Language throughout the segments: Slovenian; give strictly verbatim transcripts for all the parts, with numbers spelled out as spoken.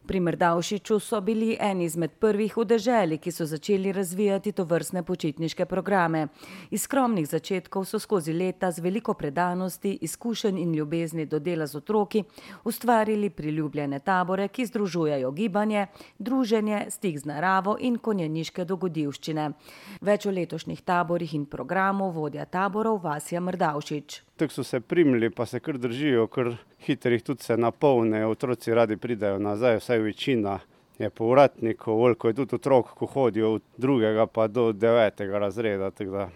Pri Mrdavšiču so bili eni izmed prvih v deželi, ki so začeli razvijati tovrstne počitniške programe. Iz skromnih začetkov so skozi leta z veliko predanosti, izkušenj in ljubezni do dela z otroki ustvarili priljubljene tabore, ki združujejo gibanje, druženje, stik z naravo in konjeniške dogodivščine. Več o letošnjih taborih in programu vodja taborov Vasja Mrdavšič. Tako so se primili, pa se kar držijo, kar hitrih tudi se napolnejo, otroci radi pridejo nazaj, vsaj večina je povratnikov, veliko je tudi otrok, ko hodijo od drugega pa do devetega razreda. Tako da,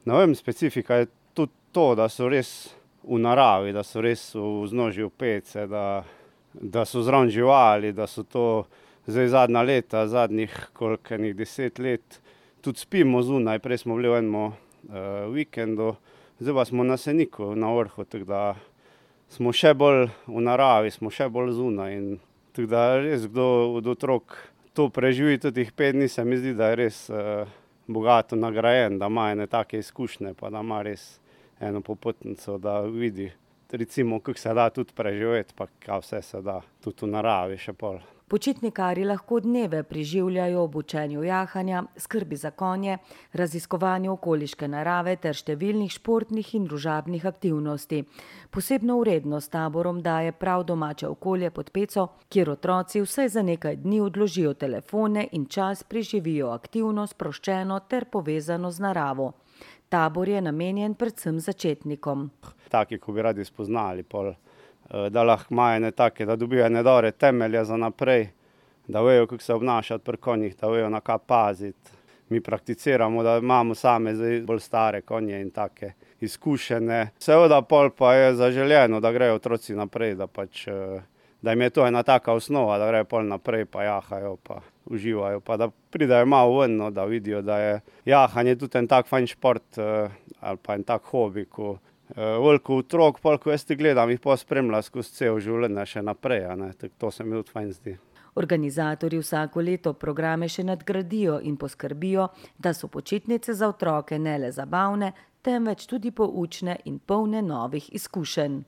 ne vem, specifika je tudi to, da so res v naravi, da so res v vznožju pece, da, da so zraven živali, da so to zdaj zadnja leta, zadnjih koliko enih deset let, tudi spimo zunaj, prej smo bili v enem uh, vikendu, zdaj pa smo na Seniku, na vrhu, tako da smo še bolj v naravi, smo še bolj zunaj in tako da res kdo od otrok to preživi tudi teh pet dni, se mi zdi, da je res uh, bogato nagrajen, da ima ene take izkušnje, pa da ima res eno popotnico, da vidi, recimo, kako se da tudi preživeti, pa kaj vse se da, tudi v naravi še pol. Počitnikarji lahko dneve preživljajo ob učenju jahanja, skrbi za konje, raziskovanju okoliške narave ter številnih športnih in družabnih aktivnosti. Posebno vrednost taborom daje prav domače okolje pod peco, kjer otroci vsaj za nekaj dni odložijo telefone in čas preživijo aktivno, sproščeno ter povezano z naravo. Tabor je namenjen predvsem začetnikom. Taki, ko bi radi spoznali pol, da lahko imajo ne take, da dobijo ene dobre temelje za naprej, da vejo, kako se obnašati pri konjih, da vejo, na kaj paziti. Mi prakticiramo, da imamo same zdaj bolj stare konje in take izkušene. Seveda pol pa je zaželjeno, da grejo otroci naprej, da pač, da jim je to ena taka osnova, da grejo pol naprej, pa jahajo, pa uživajo, pa da pridejo malo ven, no, da vidijo, da je jahanje tudi en tak fajn šport ali pa en tak hobi, ko veliko otrok, pol, ko jaz ti gledam, jih pa spremlja skozi cel življenje še naprej, a ne, tako to se mi tudi fajn zdi. Organizatorji vsako leto programe še nadgradijo in poskrbijo, da so počitnice za otroke ne le zabavne, temveč tudi poučne in polne novih izkušenj.